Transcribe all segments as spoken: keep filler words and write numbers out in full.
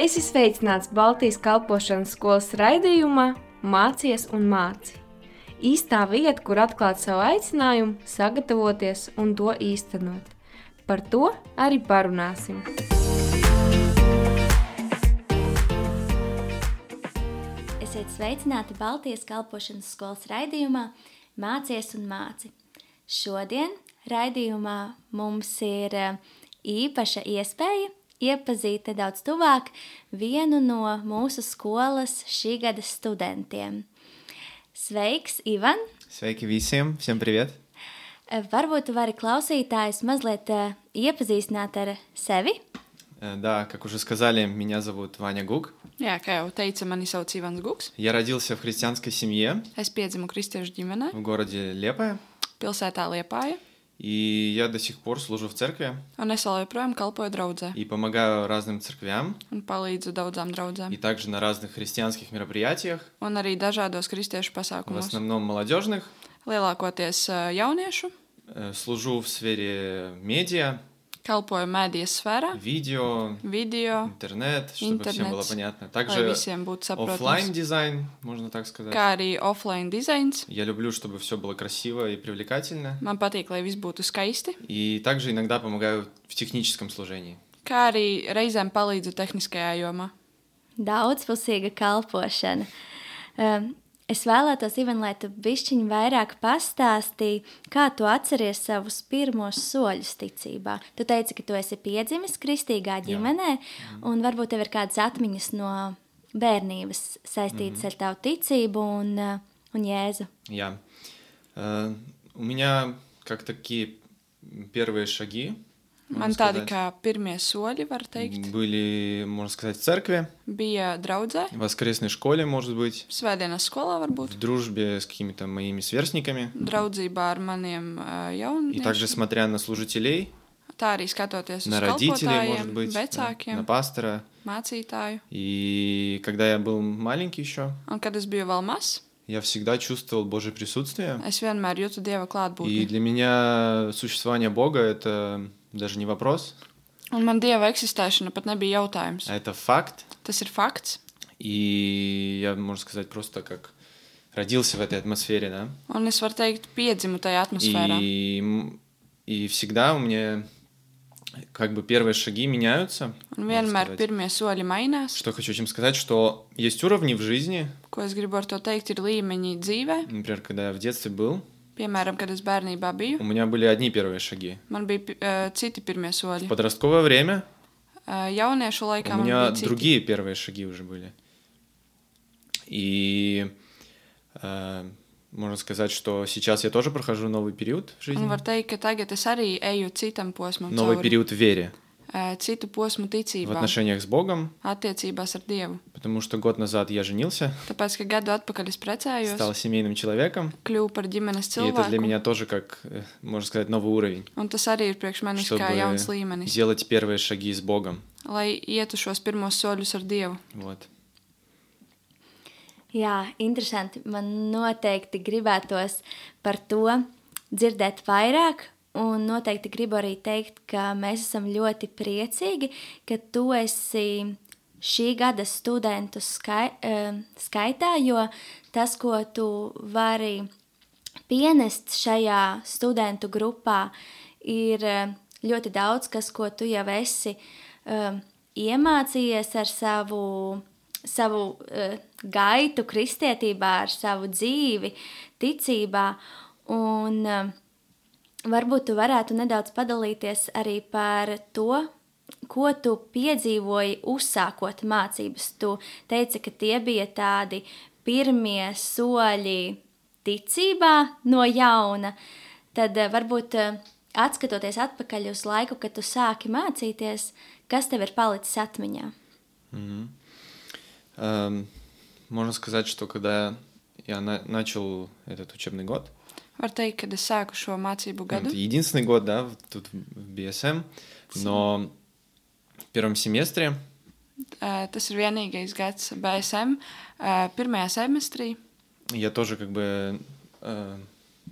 Esi sveicināts Baltijas kalpošanas skolas raidījumā Mācies un māci. Īstā vieta, kur atklāt savu aicinājumu, sagatavoties un to īstenot. Par to arī parunāsim. Esiet sveicināti Baltijas kalpošanas skolas raidījumā Mācies un māci. Šodien raidījumā mums ir īpaša iespēja iepazīt nedaudz tuvāk vienu no mūsu skolas šī gada studentiem. Sveiks, Ivan! Sveiki visiem! Всем привет! Varbūt tu vari klausītājus mazliet iepazīstināt ar sevi? Да, как уже сказали, меня зовут Ваня Гук. Jā, kā jau teica, mani sauc Ivans Guks. Я родился в христианской семье. Es piedzimu kristiešu ģimenē. В городе Liepāja. Pilsētā Liepāja. И я до сих пор служу в церкви. Un es vēl joprojām kalpoju draudzē. И помогаю разным церквям. Un palīdzu daudzām draudzēm. И также на разных христианских мероприятиях. Un arī dažādos kristiešu В pasākumos. основном молодежных. Lielākoties jauniešu. Служу в сфере медиа. Kalpoju mēdījas sfērā. Видео. Video. Интернет, чтобы Internets, всем было понятно. lai Также visiem būtu saprotams. офлайн дизайн, можно так сказать. Kā arī offline dizains. Я люблю, чтобы все было красиво и привлекательно. Man patīk, lai viss būtu skaisti. И также иногда помогаю в техническом служении. Kā arī reizēm palīdzu tehniskajā jomā. Daudzpusīga kalpošana. Um, es vēlētos, Ivan, lai tu bišķiņ vairāk pastāstīji, kā tu atceries savus pirmos soļus ticībā. Tu teici, ka tu esi piedzimis kristīgā ģimenē, Jā. Un varbūt tev ir kādas atmiņas no bērnības saistītas mm-hmm. ar tavu ticību un, un Jēzu. Jā. Uh, у меня как такие первые шаги, Man tādi kā pirmie soļi, var teikt, были, можно сказать, в церкви, bija draudzē, в воскресной школе, может быть, svētdienas skolā varbūt, в дружбе с какими-то моими сверстниками, draudzībā ar maniem uh, jauniešiem, и также смотря на служителей, tā arī skatoties на uz родителей, может kalpotājiem, быть, vecākiem, на пастора. mācītāju. И когда я был маленький еще, Un kad es biju vēl mazs, я всегда чувствовал Божье присутствие. es vienmēr jūtu Dieva И klātbūtni. для меня существование Бога — это даже не вопрос, Un man Dieva eksistēšana pat nebija jautājums. а это факт. Tas ir fakts. И я, можно сказать, просто как родился в этой атмосфере, да. Un es varu teikt, piedzimu tajā atmosfērā. И, м- и всегда у меня как бы первые шаги меняются. Un можно vienmēr сказать. pirmie soļi mainās. Что хочу этим сказать, что есть уровни в жизни. Ko es gribu ar to teikt, ir līmeņi dzīvē. Например, когда я в детстве был, Piemēram, kad es bērnībā biju, у меня были одни первые шаги. man bija uh, citi pirmie В soļi. подростковое время Uh, jauniešu laikā у man меня bija citi. другие первые шаги уже были. И э, можно сказать, что сейчас я тоже прохожу новый период в жизни. Un var teikt, ka tagad es arī eju citam posmam Новый cauri. период в вере, Uh, citu posmu в ticībā, отношениях с Богом, attiecībās ar Dievu. потому что год назад я женился, Tāpēc, ka gadu atpakaļ es precējos, стал семейным человеком, kļuvu par ģimenes и это для cilvēku, меня тоже как, э, можно сказать, новый уровень, un tas arī ir priekš manis чтобы kā jauns līmenis, делать первые шаги с Богом. lai ietu šos pirmos soļus ar Dievu. Вот. Jā, interesanti. Man noteikti gribētos par to dzirdēt vairāk, un noteikti gribu arī teikt, ka mēs esam ļoti priecīgi, ka tu esi šī gada studentu skai, eh, skaitā, jo tas, ko tu vari pienest šajā studentu grupā, ir eh, ļoti daudz, kas, ko tu jau esi eh, iemācījies ar savu savu uh, gaitu kristietībā, ar savu dzīvi, ticībā, un uh, varbūt tu varētu nedaudz padalīties arī par to, ko tu piedzīvoji uzsākot mācības. Tu teici, ka tie bija tādi pirmie soļi ticībā no jauna, tad uh, varbūt uh, atskatoties atpakaļ uz laiku, kad tu sāki mācīties, kas tev ir palicis atmiņā? Мгм. Эм, Можно сказать, что когда я на- начал этот учебный год, Var teikt, kad es sāku šo mācību ну, gadu. это единственный год, да, в- тут в би эс эм, но в первом семестре Uh, tas ir vienīgais gads B S M. Uh, pirmajā semestrī я тоже как бы э,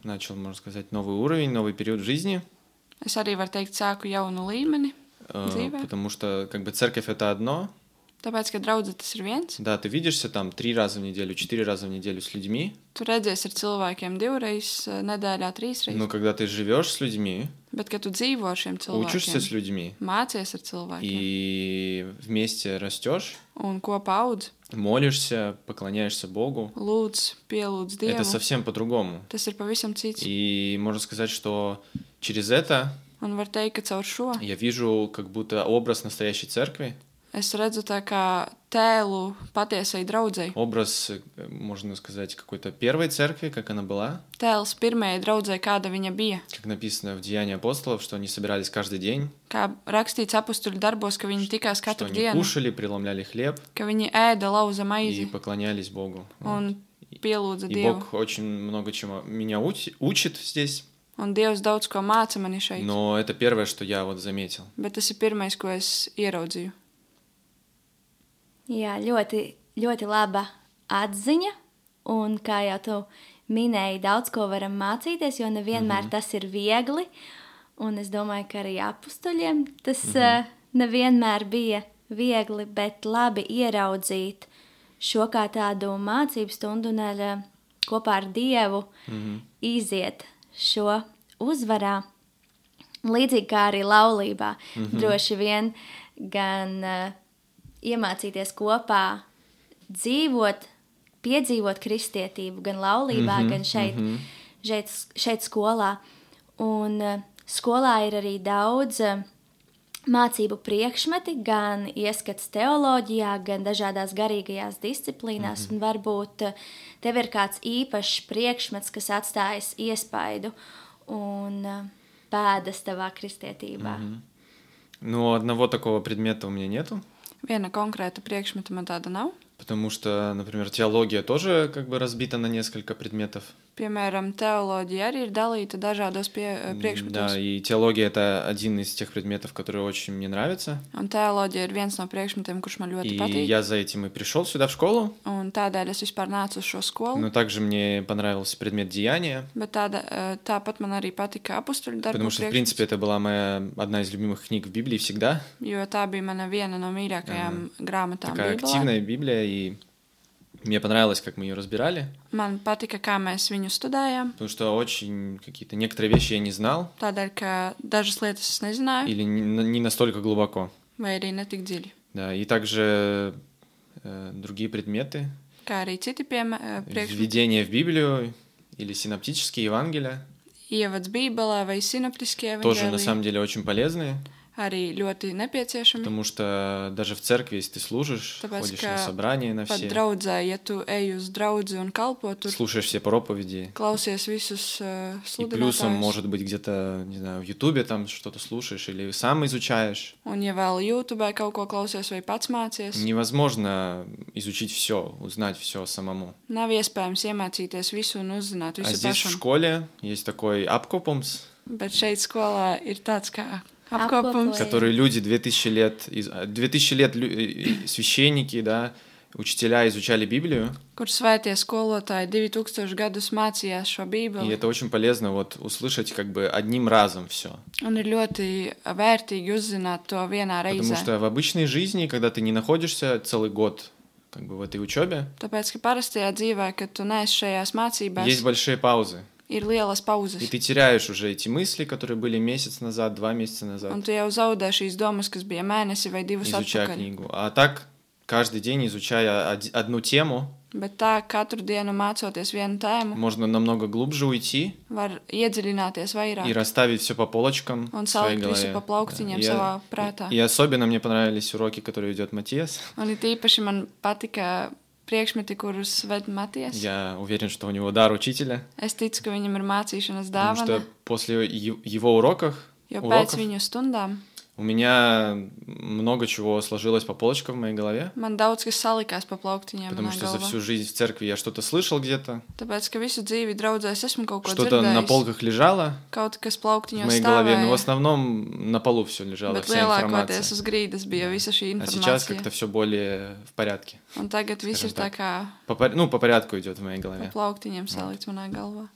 начал, можно сказать, новый уровень, новый период в жизни, es arī varu teikt, sāku jaunu līmeni э, dzīvē. потому что как бы церковь — это одно, Tāpēc, ka draudze tas ir viens. Да, ты видишься там три раза в неделю, четыре раза в неделю с людьми. Tu redzēsi ar cilvēkiem divreiz nedēļā, trīsreiz. Но когда ты живешь с людьми, Bet, kad tu dzīvo ar šiem учишься с cilvēkiem, людьми mācies ar cilvēkiem и вместе растешь, un kopā audz, молишься, поклоняешься Богу, lūdz, pielūdz это Dievu, совсем по-другому. tas ir pavisam cits. И можно сказать, что через это Un var teikt, ka caur šo я вижу как будто образ настоящей церкви, es redzu tā kā tēlu patiesai draudzei. образ, э, можно сказать, какой-то первой церкви, как она была, Tēls pirmajai draudzei, kāda viņa bija. как написано в Деянии апостолов, что они собирались каждый день, Kā rakstīts apakstuļu darbos, ka viņi tikās что katru они dienu, кушали, преломляли хлеб ka viņi ēda lauza и maizi поклонялись Богу. Вот. un pielūdza И Dievu. Бог очень много чему меня уч- учит здесь, Un Dievs daudz ko māca mani šeit. но это первое, что я вот заметил. Bet tas ir pirmais, ko es ieraudzīju. Jā, ļoti, ļoti laba atziņa. Un kā jau tu minēji, daudz ko varam mācīties, jo nevienmēr mm-hmm. tas ir viegli. Un es domāju, ka arī apustuļiem tas mm-hmm. uh, nevienmēr bija viegli, bet labi ieraudzīt šo kā tādu mācību stundu un ar, uh, kopā ar Dievu Mm-hmm. iziet šo uzvarā. Līdzīgi kā arī laulībā. Mm-hmm. Droši vien gan uh, iemācīties kopā dzīvot, piedzīvot kristietību gan laulībā, Mhm, gan šeit, mhm. šeit, šeit skolā. Un uh, skolā ir arī daudz uh, mācību priekšmeti, gan ieskats teoloģijā, gan dažādās garīgajās disciplīnās. Un varbūt uh, tev ir kāds īpašs priekšmets, kas atstājas iespaidu un uh, pēdas tavā kristietībā. Но одного такого предмета у меня нету, Viena konkrēta priekšmeta man tāda nav. потому что, например, теология тоже как бы разбита на несколько предметов. Piemēram, teoloģija arī ir dalīta dažādos pie, priekšmetos. Да, и теология — это один из тех предметов, которые очень мне нравятся. Un teoloģija ir viens no priekšmetiem, kurš man ļoti И patīk. я за этим и пришел сюда в школу. Un tādēļ es vispār nācu uz šo skolu. Но также мне понравился предмет деяния, Bet tāda, eh, tāpat man arī patika apakstuļu darbu потому что, в принципе, это была моя одна из любимых книг в Библии всегда. jo tā bija mana viena no mīļākajām grāmatām Такая Bībelē. активная Библия, и мне понравилось, как мы ее разбирали, Man patika, kā mēs viņu studējām, потому что очень какие-то некоторые вещи я не знал tādēļ, ka dažas lietas es nezināju, или не не настолько глубоко. vai arī netik dziļi. Да, и также э, другие предметы, Kā arī citi piemēri, priekšmeti, введение в Библию или синоптические Евангелия, ievads Bībelē vai sinoptiskie тоже на evaņģēliji, самом деле очень полезные, arī ļoti nepieciešami. потому что даже в церкви, если ты служишь, Tāpēc, ходишь ka на собрания на Pat все, draudzē, ja tu ej uz draudzi un kalpo, tur слушаешь все проповеди, klausies visus uh, и плюсом, sludinātājus. может быть, где-то, не знаю, в Ютубе там что-то слушаешь или сам изучаешь. Un, ja vēl YouTube kaut ko klausies vai pats mācies, Невозможно изучить все, узнать все самому. nav iespējams iemācīties visu un uzzināt А visu здесь в pašam. школе есть такой апкопумс, Bet šeit skolā ir tāds kā apkopums, Apkopojums. который люди две тысячи лет, из- а, две тысячи лет лю- и- и священники, да, учителя изучали Библию, kur svētie skolotāji divi tūkstoši gadus mācījās šo и Bībeli. это очень полезно вот услышать как бы одним разом все. Un ir ļoti vērtīgi uzzināt to vienā Потому reizē. что в обычной жизни, когда ты не находишься целый год как бы в этой учебе, Tāpēc, ka parastajā dzīvē, kad tu neesi šajās mācībās, есть большие pauzы, ir lielas и pauzes. ты теряешь уже эти мысли, которые были месяц назад, два месяца назад, Un tu jau zaudē šīs domas, kas bija mēnesi vai divus изучая atpakaļ. книгу. А так каждый день, изучая од- одну тему, Bet tā, katru dienu mācoties vienu tēmu, можно намного глубже уйти var iedziļināties и vairāk расставить все по полочкам un в своей salikt visu голове. pa plauktiņiem И, savā prātā. и особенно мне понравились уроки, которые ведет Матиас. Un it īpaši man patika priekšmeti, kurus ved Matijas. Я уверен, что у него дар учителя, Es ticu, ka viņam ir mācīšanas потому dāvana, что после е- его уроков, jo pēc уроков viņu stundām у меня много чего сложилось по полочкам в моей голове, man daudz kas salikās pa plauktiņiem потому manā что за galvā. всю жизнь в церкви я что-то слышал где-то, Tāpēc, ka visu dzīvi draudzēs esmu kaut ko что-то на dzirdējis, полках лежало kaut kas в plauktiņos моей голове, но в stāvēja, основном на полу все лежало, bet вся lielākoties информация. uz grīdas bija visa šī А сейчас informācija. как-то все более в порядке. Un tagad viss ir Скажем tā kā По пор- ну, по порядку идет в моей pa голове. plauktiņiem salikts manā galvā.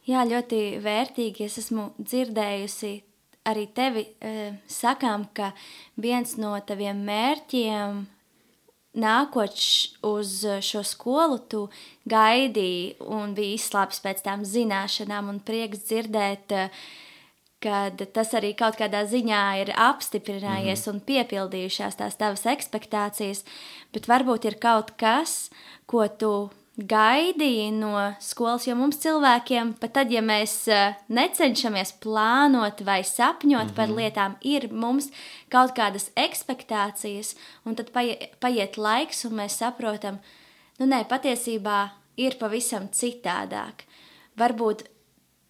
Jā, ļoti vērtīgi. Es esmu dzirdējusi arī tevi e, sakām, ka viens no taviem mērķiem nākot š, uz šo skolu, tu gaidīji un biji izslāpis pēc tām zināšanām un prieks dzirdēt, kad tas arī kaut kādā ziņā ir apstiprinājies mm-hmm. un piepildījušās tās tavas ekspektācijas, bet varbūt ir kaut kas, ko tu gaidīji no skolas, jo mums cilvēkiem, pat tad, ja mēs necenšamies plānot vai sapņot mm-hmm. par lietām, ir mums kaut kādas ekspektācijas, un tad paiet, paiet laiks, un mēs saprotam, nu nē, patiesībā ir pavisam citādāk. Varbūt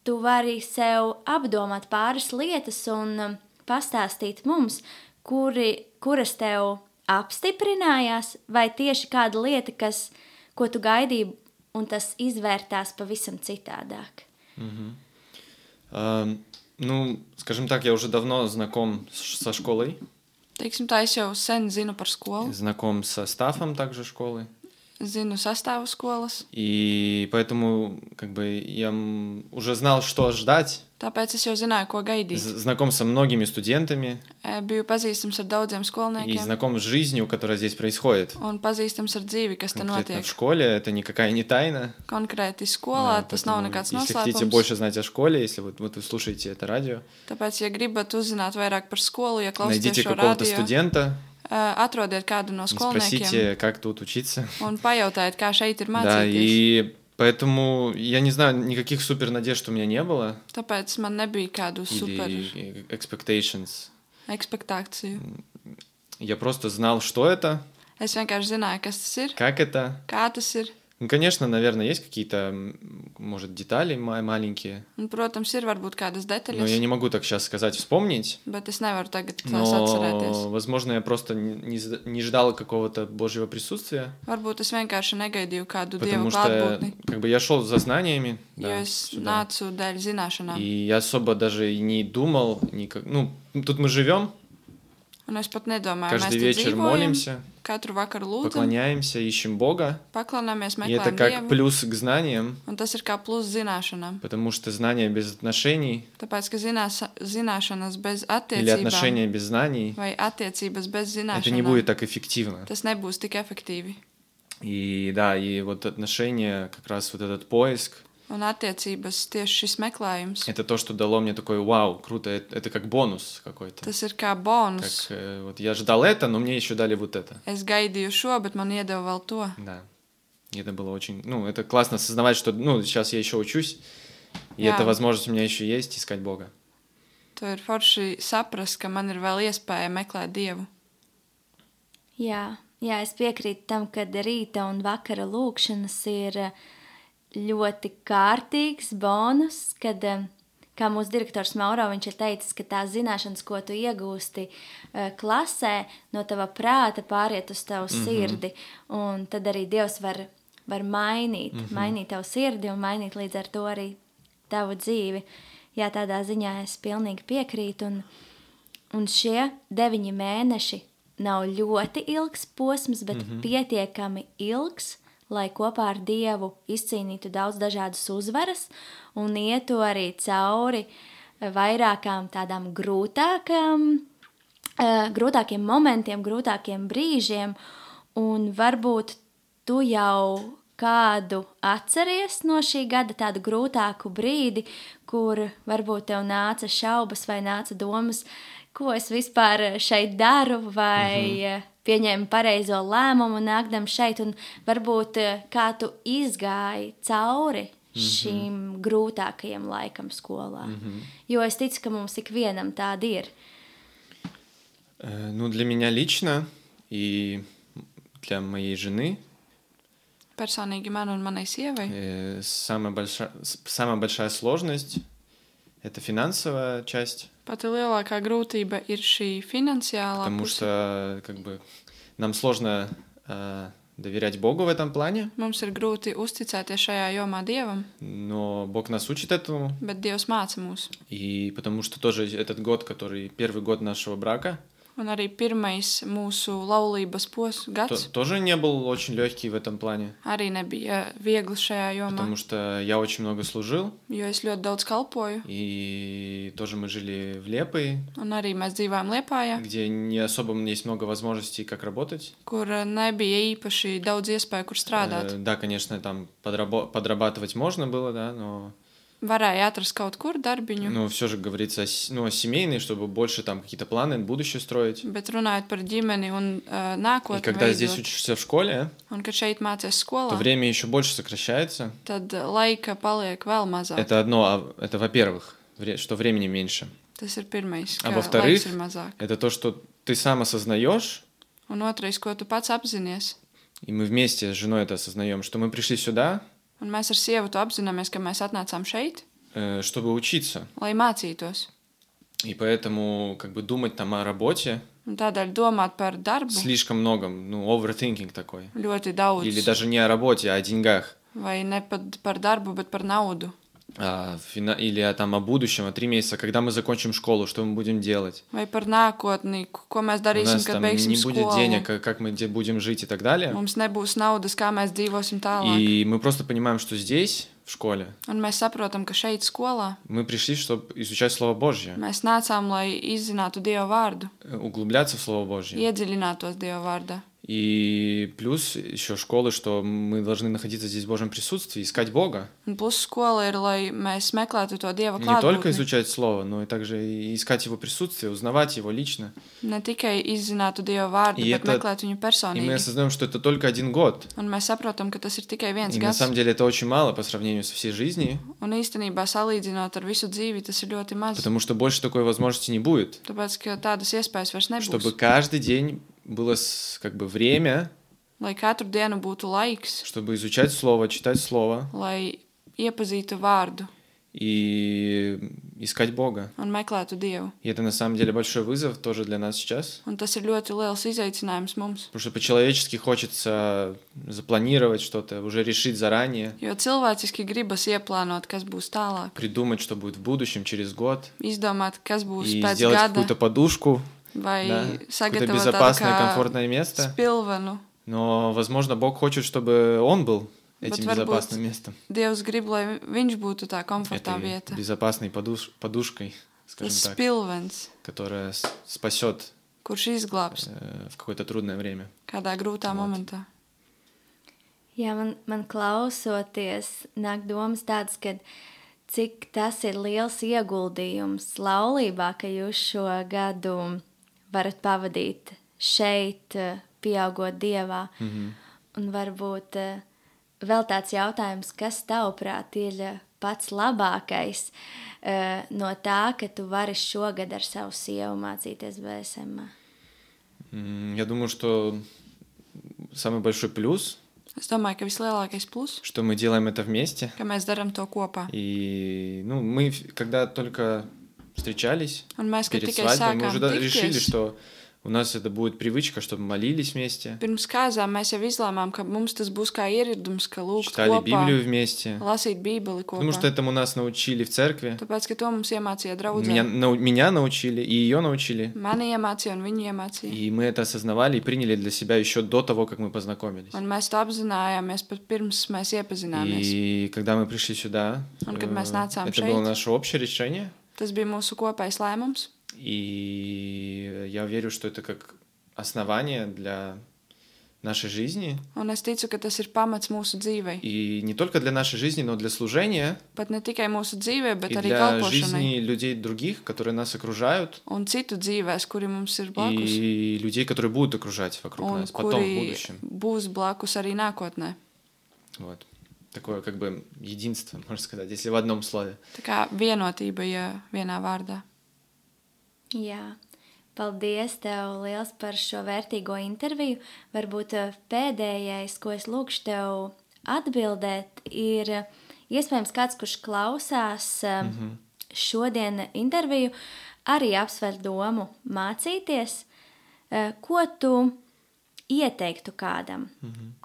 tu vari sev apdomāt pāris lietas un um, pastāstīt mums, kuri, kuras tev apstiprinājās, vai tieši kāda lieta, kas, ko tu gaidīji, un tas izvērtās pavisam цитādāk. Угу. А, ну, скажем так, я уже давно знаком со школой. Teiksim tā, es jau sen zinu par skolu. Знаком со стафом также школы. Zinu sastāvu skolas. И поэтому как бы я уже знал, что ждать. Tāpēc es jau zināju, ko gaidīt. Знаком со многими студентами. Biju pazīstams ar daudziem skolniekiem. И знаком с жизнью, которая здесь происходит. Un pazīstams ar dzīvi, kas te Конкретно notiek. в школе это никакая не тайна. Konkrēti skolā, Да, tas nav nekāds если хотите noslēpums. больше знать о школе, если вот, вот вы слушаете это радио, Tāpēc, ja gribat uzzināt vairāk par skolu, ja klausāties найдите šo какого-то radio, студента, atrodiet kādu no skolniekiem спросите, как тут учиться. un pajautājiet, kā šeit ir Да, mācīties. и поэтому, я не знаю, никаких супер надежд у меня не было. Tāpēc man nebija kādu super Или expectations. ekspektāciju. Я просто знал, что это, Es vienkārši zināju, kas tas ir, как это. kā tas ir. Ну, конечно, наверное, есть какие-то, может, детали ма- маленькие, Un, protams, ir varbūt kādas но я detaļas, не могу так сейчас сказать, вспомнить. bet es nevaru tagad tās Но, atcerēties. возможно, я просто не, з- не ждал какого-то Божьего присутствия, Varbūt es vienkārši negaidīju kādu потому dievu что klātbūtni, как бы я шел за знаниями, jo да, es сюда. nācu dēļ zināšanām. И я особо даже и не думал, никак... ну, тут мы живем, Un es pat nedomāju, mēs каждый te вечер dzīvojam, молимся, katru vakaru lūdzam, поклоняемся, ищем Бога, paklaunāmies, и это meklējam как Dievu, плюс к знаниям, un tas ir kā plus zināšanām. потому что знания без отношений Tāpēc, ka zinās, zināšanas bez или attiecībām отношения без знаний, vai attiecības bez это не будет zināšanām, так эффективно. tas nebūs tik efektīvi. И да, и вот отношения, как раз вот этот поиск, Un attiecības tieši šis meklējums, это то, что дало мне такой вау, круто, это, это как бонус какой-то. tas ir kā Как, bonus. э, вот я ждал это, но мне еще дали вот это. Es gaidīju šo, bet man iedeva vēl to. Да. И это было очень... Ну, это классно осознавать, что, ну, сейчас я еще учусь, и Jā. эта возможность у меня еще есть искать Бога. To ir forši saprast, ka man ir vēl iespēja meklēt Dievu. Jā, jā, es piekrītu tam, ka rīta un vakara lūkšanas ir eh, ļoti kārtīgs bonus, kad, eh, kā mūsu direktors Mauro, viņš ir teicis, ka tās zināšanas, ko tu iegūsti eh, klasē, no tava prāta pāriet uz tavu mm-hmm. sirdi, un tad arī Dievs var, var mainīt, mm-hmm. mainīt tavu sirdi un mainīt līdz ar to arī tavu dzīvi. Jā, tādā ziņā es pilnīgi piekrītu, un, un šie deviņi mēneši nav ļoti ilgs posms, bet mm-hmm. pietiekami ilgs, lai kopā ar Dievu izcīnītu daudz dažādas uzvaras un ietu arī cauri vairākām tādām grūtākām, uh, grūtākiem momentiem, grūtākiem brīžiem, un varbūt tu jau kādu atceries no šī gada tādu grūtāku brīdi, kur varbūt tev nāca šaubas vai nāca domas, ko es vispār šeit daru, vai mm-hmm. pieņēmu pareizo lēmumu nākdam šeit, un varbūt kā tu izgāji cauri mm-hmm. šīm grūtākajiem laikam skolā. Mm-hmm. Jo es ticu, ka mums ikvienam tādi ir. Э, Ну, для меня лично и для моей жены Personīgi man un manai sievai. э, самая большая, с- самая большая сложность — это финансовая часть, Pati lielākā grūtība ir šī finansiālā потому puse. что как бы нам сложно э, доверять Богу в этом плане, Mums ir grūti uzticēties šajā jomā Dievam, но Бог нас учит этому, bet Dievs māca mūs. и потому что тоже этот год, который первый год нашего брака, Un arī pirmais mūsu laulības pos то- gads тоже не был очень легкий в этом плане, arī nebija viegli šajā jomā, потому что я очень много служил, jo es ļoti daudz kalpoju. и тоже мы жили в Лепое, Un arī mēs dzīvojam Liepājā, где не особо есть много возможностей, как работать. kur nebija īpaši daudz iespēju, kur strādāt. Э, Да, конечно, там подрабо- подрабатывать можно было, да, но, Varēja atrast kaut kur darbiņu, но все же говорится о, с- ну, о семейной, чтобы больше там какие-то планы, будущее строить. bet runājot par ģimeni un uh, И nākotni когда здесь veidot, учишься в школе, un kad šeit mācies то skolā, время еще больше сокращается. tad laika paliek vēl mazāk. Это одно, а- это во-первых, вре- что времени меньше. Tas ir pirmais, А ka во-вторых, laiks ir mazāk. это то, что ты сам осознаешь, Un otrais, ko tu pats apzinies, и мы вместе с женой это осознаем, что мы пришли сюда, un mēs ar sievu to apzināmies, ka mēs atnācām šeit, э, чтобы учиться. lai mācītos. И поэтому как бы думать там о работе Un tādēļ domāt par darbu слишком много, ну, overthinking такой. ļoti daudz. Или даже не о работе, а о деньгах. Vai ne pat par darbu, bet par naudu. А, фина- Или о, там, о будущем, о три месяца, когда мы закончим школу, что мы будем делать. Vai par nākotni, ko mēs У darīsim, нас kad там beigsim не будет skolu. денег, как как мы где будем жить и так далее. Mums nebūs naudas, kā mēs dzīvosim tālāk. И мы просто понимаем, что здесь, в škole, Un mēs saprotam, ka šeit skolā мы пришли, чтобы изучать Слово Божье, mēs nācām, lai izzinātu Dieva vārdu, э, углубляться в Слово Божье. iedziļinātos Dieva vārdā. И плюс еще школы, что мы должны находиться здесь в Божьем присутствии, искать Бога. Un plus skola ir, lai mēs meklētu to Dieva Не только klātbūtni. изучать Слово, но и также и искать Его присутствие, узнавать Его лично. Ne tikai izzinātu Dieva vārdu, И bet это- meklēt viņu И мы personīgi. осознаем, что это только один год. Un mēs saprotam, ka tas ir tikai viens И на gads. самом деле это очень мало по сравнению со всей жизнью, Un īstenībā, salīdzinot ar visu dzīvi, tas ir ļoti maz. потому что больше такой возможности не будет. Tāpēc, ka tādas iespējas vairs Чтобы nebūs. каждый день было с- как бы время, Lai katru dienu būtu laiks, чтобы изучать Слово, читать Слово lai iepazītu vārdu и искать Бога. un meklētu Dievu. И это на самом деле большой вызов тоже для нас сейчас. Un tas ir ļoti liels izaicinājums mums. Потому что по-человечески хочется запланировать что-то, уже решить заранее, Jo cilvēciski gribas ieplānot, kas būs tālāk, придумать, что будет в будущем, через год, izdomāt, kas būs и pēc сделать gada, какую-то подушку, vai да, какое-то sagatavot tādu безопасное, kā комфортное место. spilvenu. Но, возможно, Бог хочет, чтобы Он был этим Bet varbūt безопасным местом. Dievs grib, lai viņš būtu tā komfortā Этой vieta. безопасной подуш- подушкой, скажем Tas так, spilvens, которая с- спасет kurš izglābs э, в какое-то трудное время. kādā grūtā Vot. momentā. Jā, man, man klausoties, nāk domas tādas, ka cik tas ir liels ieguldījums laulībā, ka jūs šo gadu varat pavadīt šeit, eh, pieaugot Dievā. Мгм. Un varbūt eh, vēl tāds jautājums, kas tavuprāt ir eh, pats labākais eh, no tā, ka tu vari šogad ar savu sievu mācīties B S M? М, Я думаю, что самый большой плюс, Es domāju, ka vislielākais plus, что мы делаем это вместе. ka mēs darām to kopā. И, ну, мы, в- когда только встречались Un mēs, kad перед tikai свадьбой, мы sākām уже да- решили, tikties, что у нас это будет привычка, чтобы молились вместе, pirms kāzām mēs jau izlēmām, ka mums tas būs kā ieradums, ka lūgt читали kopā, Библию вместе. lasīt Bībeli Потому что kopā. этому нас научили в церкви. Tāpēc, ka to mums iemācīja Меня, draudzē. нау- меня научили, и ее научили. Mani iemācīja un viņi iemācīja. И мы это осознавали и приняли для себя еще до того, как мы познакомились. Un mēs to apzinājāmies pat pirms mēs iepazināmies. И когда мы пришли сюда, Un kad э, mēs nācām это šeit. было наше общее решение. Tas bija mūsu kopējs lēmums. И я верю, что это как основание для нашей жизни. Un es ticu, ka tas ir pamats mūsu dzīvei. И не только для нашей жизни, но для служения Pat ne tikai mūsu dzīvē, bet и arī для kalpošanai. жизни людей других, которые нас окружают, Un citu dzīvēs, kuri mums ir blakus. и людей, которые будут окружать вокруг Un нас потом, в kuri будущем. būs blakus arī nākotnē. Вот. Такое как бы единство, можно сказать, если в одном слове. Tā kā vienotība, ja vienā vārdā. Jā, paldies tev liels par šo vērtīgo interviju. Varbūt eh, pēdējais, ko es lūkšu tev atbildēt, ir eh, iespējams kāds, kurš klausās eh, šodien interviju, arī apsver domu mācīties. Eh, Ko tu ieteiktu kādam,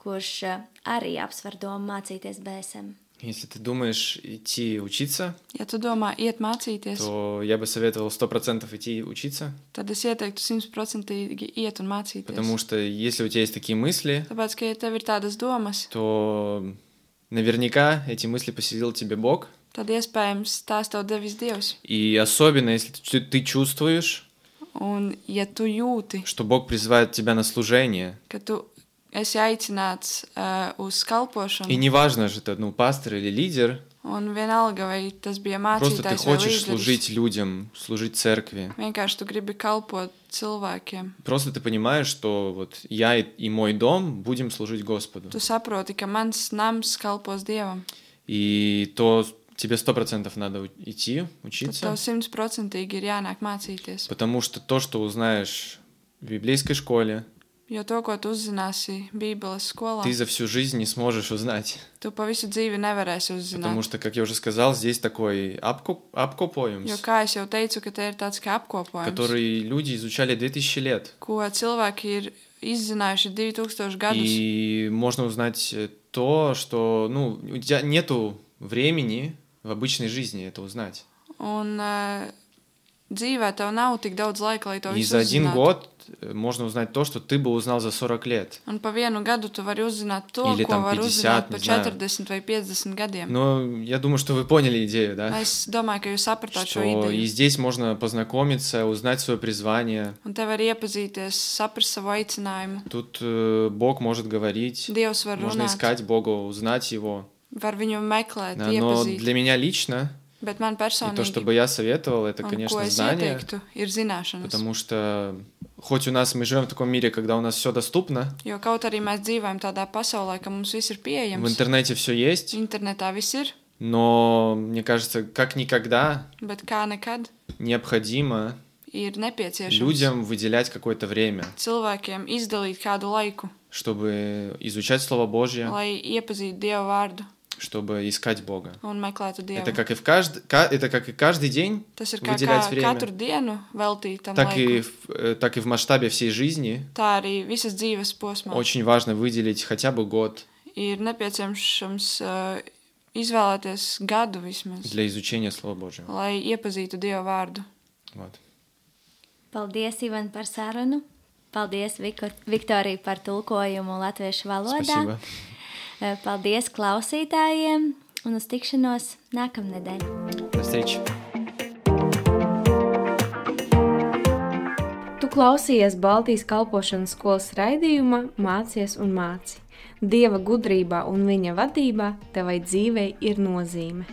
kurš eh, arī apsver domu mācīties B S M? Если ты думаешь идти учиться, Ja tu domā iet mācīties, то я бы советовал сто процентов идти учиться, tad es ieteiktu simtprocentīgi iet un mācīties. потому что если у тебя есть такие мысли, Tāpēc, ka ja tev ir tādas domas, то наверняка эти мысли поселил тебе Бог. tad iespējams tās tev devis Dievs. И особенно, если ты, ты чувствуешь, Un ja tu jūti, что Бог призывает тебя на служение, ka tu esi aicināts uh, uz и kalpošanu, неважно, же это ну, пастор или лидер, un vienalga, vai tas bija просто ты mācītājs vai хочешь līderis, служить людям, служить церкви. vienkārši tu gribi kalpot cilvēkiem. Просто ты понимаешь, что вот я и, и мой дом будем служить Господу. Tu saproti, ka mans nams kalpos Dievam. И то тебе сто процентов надо у- идти, Tad учиться, tev simtprocentīgi ir jānāk mācīties. потому что то, что узнаешь в библейской школе, Jo to, ko tu uzzināsi Bībeles skolā, ты за всю жизнь не сможешь узнать. tu pa visu dzīvi nevarēsi Потому uzzināt. что, как я уже сказал, здесь такой apko- Jo, apkopojums, kā es jau teicu, ka te ir tāds kā apkopojums, который люди изучали две тысячи лет. ko cilvēki ir izzinājuši divi tūkstoši gadus. И можно узнать э, то, что, ну, у тебя нету времени в обычной жизни это узнать. Un uh, dzīvē tev nav tik daudz laika, lai to И visu за один uzzinātu. год э, можно узнать то, что ты бы узнал за сорок лет. Un pa vienu gadu tu vari uzzināt to, Или ko tam var пятьдесят, uzzināt pa не знаю. četrdesmit vai piecdesmit gadiem. Но я думаю, что вы поняли идею, да? Es domāju, ka jūs sapratāt šo Что и ideju. здесь можно познакомиться, узнать свое призвание. Un te var iepazīties, saprast savu aicinājumu. Тут э, Бог может говорить, Dievs var можно runāt, искать Бога, узнать Его. var viņu meklēt, Да, но iepazīt. для меня лично, Bet man и то, что personīgi, бы я советовал, это, un ko конечно, es знание. ieteiktu, ir zināšanas. Потому что хоть у нас мы живем в таком мире, когда у нас все доступно, Jo kaut arī mēs dzīvojam tādā pasaulē, ka mums viss ir в pieejams, интернете все есть, internetā viss ir, но мне кажется, как никогда bet kā nekad необходимо ir nepieciešams людям выделять какое-то время, cilvēkiem izdalīt kādu laiku, чтобы изучать Слово Божье, lai iepazītu Dievu vārdu чтобы искать Бога. un meklētu Dievu. Это как и в кажд... ка- это как и каждый день Tas ir kā, выделять kā время, katru dienu veltīt tam так и, laiku. в, э, так и в масштабе всей жизни. Tā arī visas dzīves posmā Очень важно выделить хотя бы год ir nepieciešams uh, izvēlēties gadu vismaz, для изучения Слова Божьего. lai iepazītu Dievu vārdu. Вот. Paldies, Ivan, par sarunu. Paldies, Viko- Viktorija, par tulkojumu latviešu valodā. Спасибо. Eh, Paldies klausītājiem un uz tikšanos nākamnedēļ. До встречи. Tu klausījies Baltijas kalpošanas skolas raidījumā Mācies un māci. Dieva gudrībā un viņa vadībā tevai dzīvei ir nozīme.